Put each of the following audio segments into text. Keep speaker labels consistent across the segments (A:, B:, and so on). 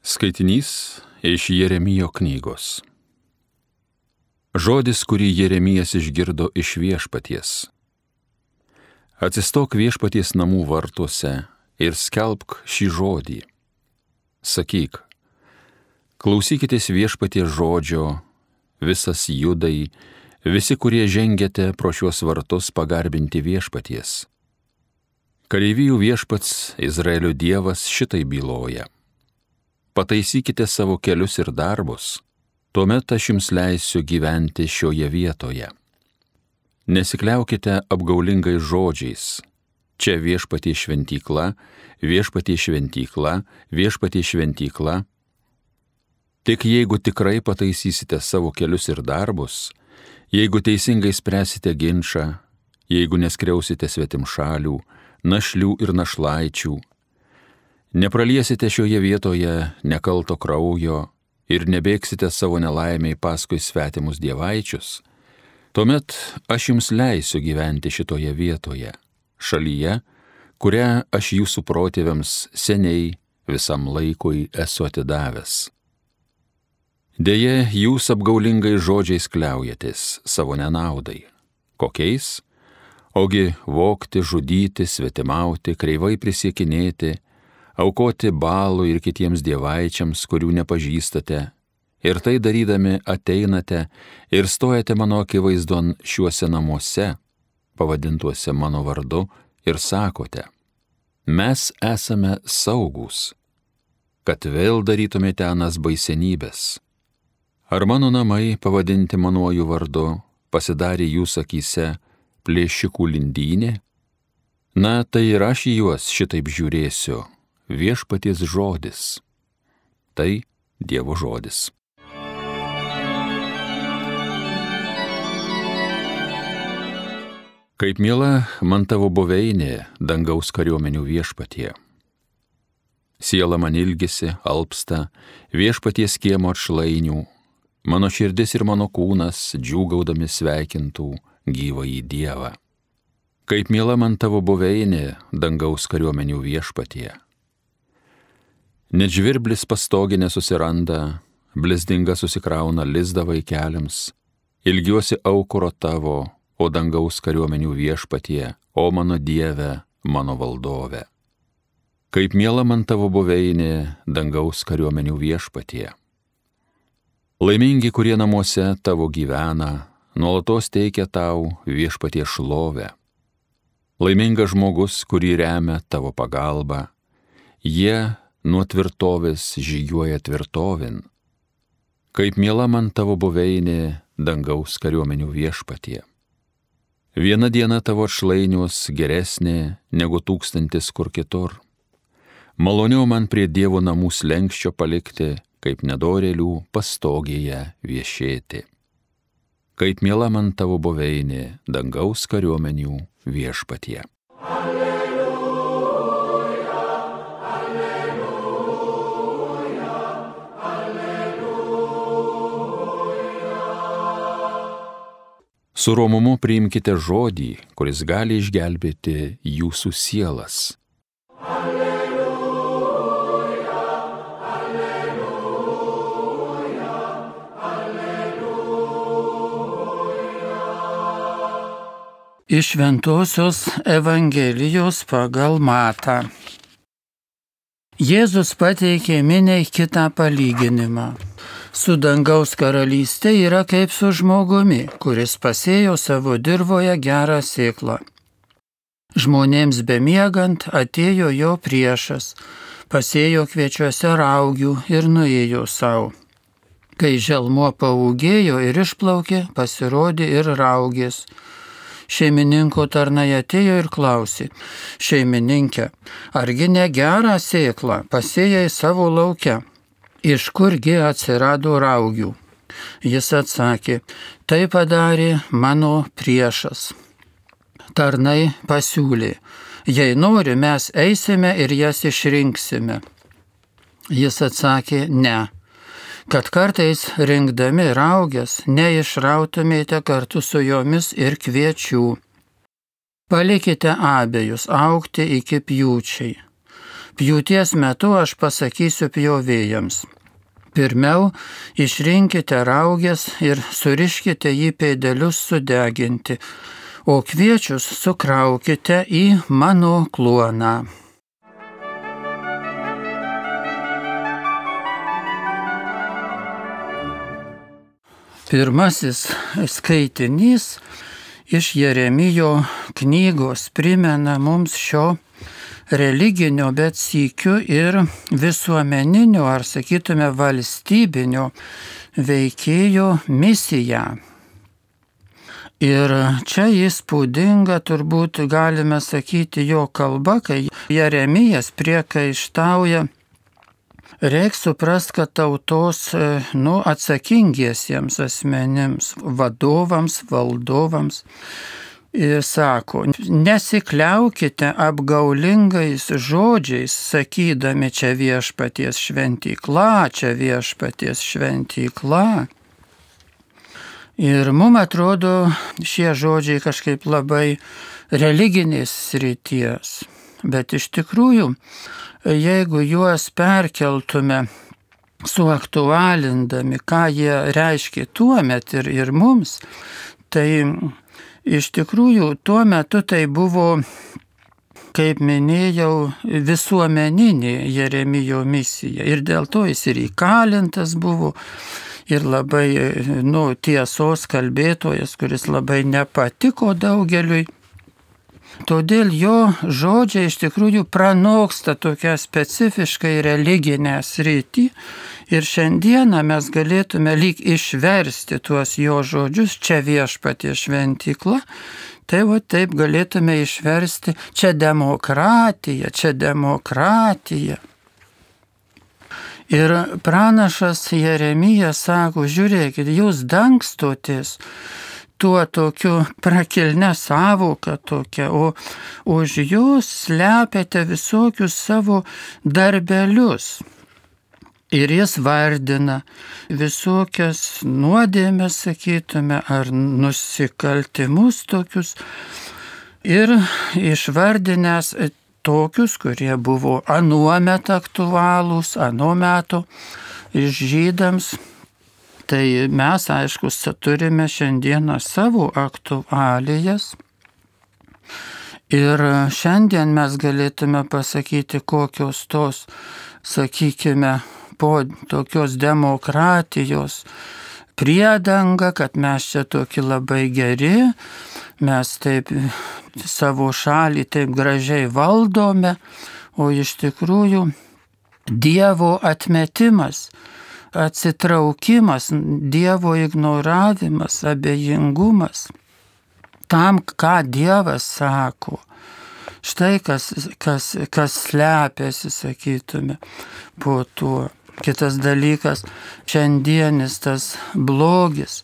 A: Skaitinys iš Jeremijo knygos. Žodis, kurį Jeremijas išgirdo iš Viešpaties. Atsistok Viešpaties namų vartuose ir skelbk šį žodį. Sakyk, klausykitės Viešpaties žodžio, visas Judai, visi, kurie žengiate pro šiuos vartus pagarbinti Viešpaties. Kareivijų Viešpats, Izraelio Dievas, šitai byloja. Pataisykite savo kelius ir darbus, tuomet aš jums leisiu gyventi šioje vietoje. Nesikliaukite apgaulingais žodžiais. Čia Viešpatie šventykla, Viešpatie šventykla, Viešpatie šventykla. Tik jeigu tikrai pataisysite savo kelius ir darbus, jeigu teisingai spręsite ginčą, jeigu neskriausite svetimšalių, našlių ir našlaičių, nepraliesite šioje vietoje nekalto kraujo ir nebėgsite savo nelaimiai paskui svetimus dievaičius, tuomet aš jums leisiu gyventi šitoje vietoje, šalyje, kurią aš jūsų protėviams seniai visam laikui esu atidavęs. Deja, jūs apgaulingai žodžiais kliaujatės savo nenaudai. Kokiais? Ogi vogti, žudyti, svetimauti, kreivai prisiekinėti, aukoti Baalų ir kitiems dievaičiams, kurių nepažįstate, ir tai darydami ateinate ir stojate mano akivaizdon šiuose namuose, pavadintuose mano vardu, ir sakote, mes esame saugūs, kad vėl darytumėte anas baisenybės. Ar mano namai, pavadinti manuoju vardu, pasidarė jūsų akyse plėšikų lindynė? Na, tai ir aš į juos šitaip žiūrėsiu. Viešpaties žodis. Tai Dievo žodis. Kaip miela man tavo buveinė, dangaus kariuomenių Viešpatie. Siela man ilgisi, alpsta, Viešpaties kiemo atšlainių, mano širdis ir mano kūnas džiūgaudami sveikintų gyvąjį Dievą. Kaip miela man tavo buveinė, dangaus kariuomenių Viešpatie. Net žvirblis pastoginė susiranda, blizdinga susikrauna lizdą vaikeliams, ilgiuosi aukuro tavo, o dangaus kariuomenių Viešpatie, o mano Dieve, mano valdove. Kaip miela man tavo buveinė, dangaus kariuomenių Viešpatie. Laimingi, kurie namuose tavo gyvena, nuolatos teikia tau Viešpatie šlovę. Laimingas žmogus, kurį remia tavo pagalba, jie nuo tvirtovės žygiuoja tvirtovin. Kaip miela man tavo buveinė, dangaus kariuomenių Viešpatie. Viena diena tavo atšlainius geresnė negu 1000 kur kitur. Maloniau man prie Dievo namų slenkščio palikti, kaip nedorėlių pastogėje viešėti. Kaip miela man tavo buveinė, dangaus kariuomenių Viešpatie. Su romumu priimkite žodį, kuris gali išgelbėti jūsų sielas. Alleluja, alleluja, alleluja.
B: Iš Šventosios Evangelijos pagal Matą. Jėzus pateikė miniai kitą palyginimą. Su dangaus karalystė yra kaip su žmogumi, kuris pasėjo savo dirvoje gerą sėklą. Žmonėms bemiegant atėjo jo priešas, pasėjo kviečiuose raugių ir nuėjo savo. Kai želmuo paūgėjo ir išplaukė, pasirodė ir raugės. Šeimininko tarnai atėjo ir klausė, šeimininkė, argi ne gerą sėklą pasėjai savo lauke? Iš kurgi atsirado raugių? Jis atsakė, tai padarė mano priešas. Tarnai pasiūlė, jei nori, mes eisime ir jas išrinksime. Jis atsakė, ne, kad kartais rinkdami raugės neišrautumėte kartu su jomis ir kviečių. Palikite abejus augti iki pjūčiai. Pjūties metu aš pasakysiu pjovėjams. Pirmiau išrinkite raugės ir suriškite jį pėdelius sudeginti, o kviečius sukraukite į mano kluoną. Pirmasis skaitinys iš Jeremijo knygos primena mums šio religinio, bet sykiu ir visuomeninio, ar sakytume valstybinio veikėjo misiją. Ir čia įspūdinga, turbūt galime sakyti, jo kalba, kai Jeremijas priekaištauja. Reikia suprasti, kad tautos atsakingiesiems asmenims, vadovams, valdovams, ir sako, nesikliaukite apgaulingais žodžiais, sakydami čia viešpaties šventykla, čia viešpaties šventykla. Ir mums atrodo šie žodžiai kažkaip labai religinės srities, bet iš tikrųjų, jeigu juos perkeltume, suaktualindami, ką jie reiškia tuomet ir mums, tai iš tikrųjų tuo metu tai buvo, kaip minėjau, visuomeninė Jeremijo misija. Ir dėl to jis ir įkalintas buvo, ir labai tiesos kalbėtojas, kuris labai nepatiko daugeliui. Todėl jo žodžiai iš tikrųjų pranoksta tokią specifiškai religinę sritį ir šiandieną mes galėtume lyg išversti tuos jo žodžius, čia viešpaties šventykla, tai taip galėtume išversti čia demokratija, čia demokratija. Ir pranašas Jeremijas sako, žiūrėkit, jūs dangstotės tuo tokiu prakilne savoka tokia, o už jūs slepiate visokius savo darbelius. Ir jis vardina visokias nuodėmes, sakytume, ar nusikaltimus tokius. Ir išvardinęs tokius, kurie buvo anuomet aktualūs, anuo metu žydams. Tai mes, aišku, turime šiandieną savo aktualijas. Ir šiandien mes galėtume pasakyti, kokios tos, sakykime, po tokios demokratijos priedanga, kad mes čia tokie labai geri, mes taip savo šalį taip gražiai valdome, o iš tikrųjų Dievo atmetimas, atsitraukimas, Dievo ignoravimas, abejingumas tam, ką Dievas sako. Štai kas slepiasi, sakytume, po tuo. Kitas dalykas, šiandienis tas blogis,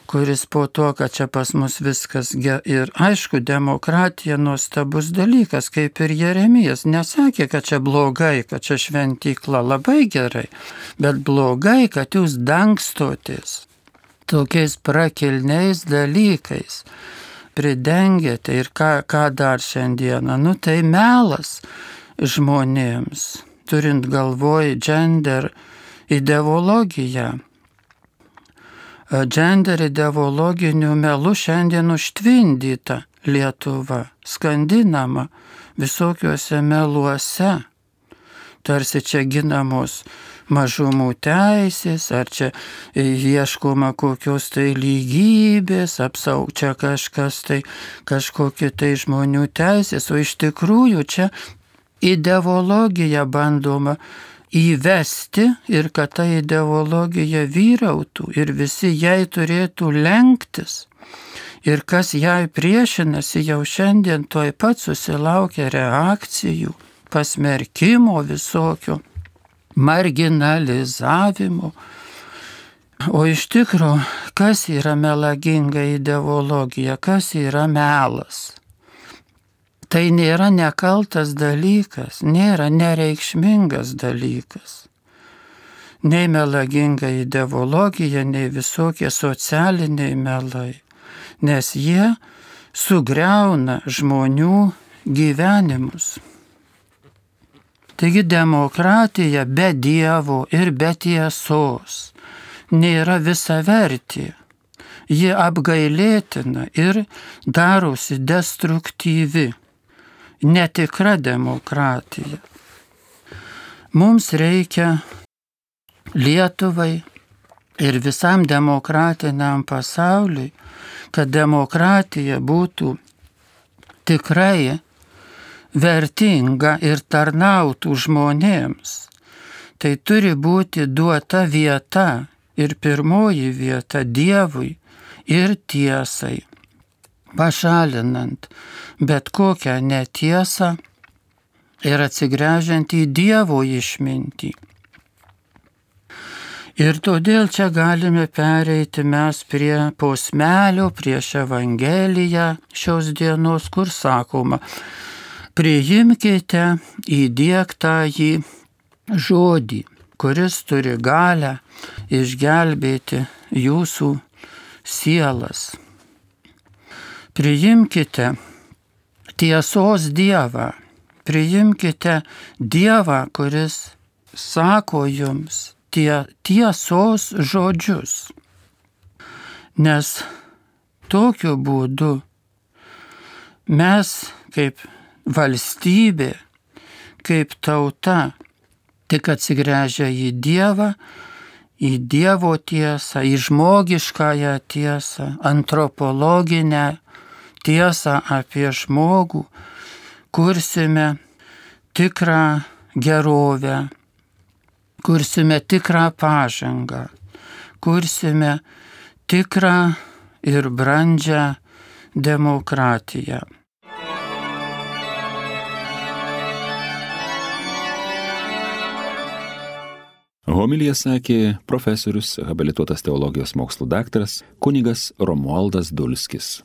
B: kuris po to, kad čia pas mus viskas ir aišku, demokratija nuostabus dalykas, kaip ir Jeremijas. Nesakė, kad čia blogai, kad čia šventykla, labai gerai, bet blogai, kad jūs dangstotės tokiais prakilniais dalykais, pridengėte ir ką dar šiandieną. Tai melas žmonėms, turint galvoj gender ideologiją. Gender ideologinių melų šiandien užtvindyta Lietuva, skandinama visokiuose meluose. Tarsi čia ginamos mažumų teisės, ar čia ieškoma kokios tai lygybės, čia kažkas tai, kažkokie tai žmonių teisės, o iš tikrųjų čia ideologija bandoma įvesti ir kad ta ideologija vyrautų ir visi jai turėtų lenktis. Ir kas jai priešinasi, jau šiandien tuoj pat susilaukia reakcijų, pasmerkimo visokio, marginalizavimo. O iš tikrųjų, kas yra melaginga ideologija, kas yra melas? Tai nėra nekaltas dalykas, nėra nereikšmingas dalykas. Nei melaginga ideologija, nei visokie socialiniai melai, nes jie sugriauna žmonių gyvenimus. Taigi demokratija be Dievo ir be tiesos nėra visavertė. Ji apgailėtina ir darosi destruktyvi, netikra demokratija. Mums reikia Lietuvai ir visam demokratiniam pasauliui, kad demokratija būtų tikrai vertinga ir tarnautų žmonėms. Tai turi būti duota vieta ir pirmoji vieta Dievui ir tiesai, pašalinant bet kokią netiesą ir atsigręžiant į Dievo išmintį. Ir todėl čia galime pereiti mes prie posmelio, prieš Evangeliją šios dienos, kur sakoma, priimkite įdiegtąjį žodį, kuris turi galią išgelbėti jūsų sielas. Priimkite tiesos Dievą, priimkite Dievą, kuris sako jums tiesos žodžius, nes tokiu būdu mes kaip valstybė, kaip tauta, tik atsigręžia į Dievą, į Dievo tiesą, į žmogiškąją tiesą, antropologinę tiesą apie žmogų, kursime tikrą gerovę, kursime tikrą pažangą, kursime tikrą ir brandžią demokratiją.
A: Homiliją sakė profesorius, habilituotas teologijos mokslų daktaras kunigas Romualdas Dulskis.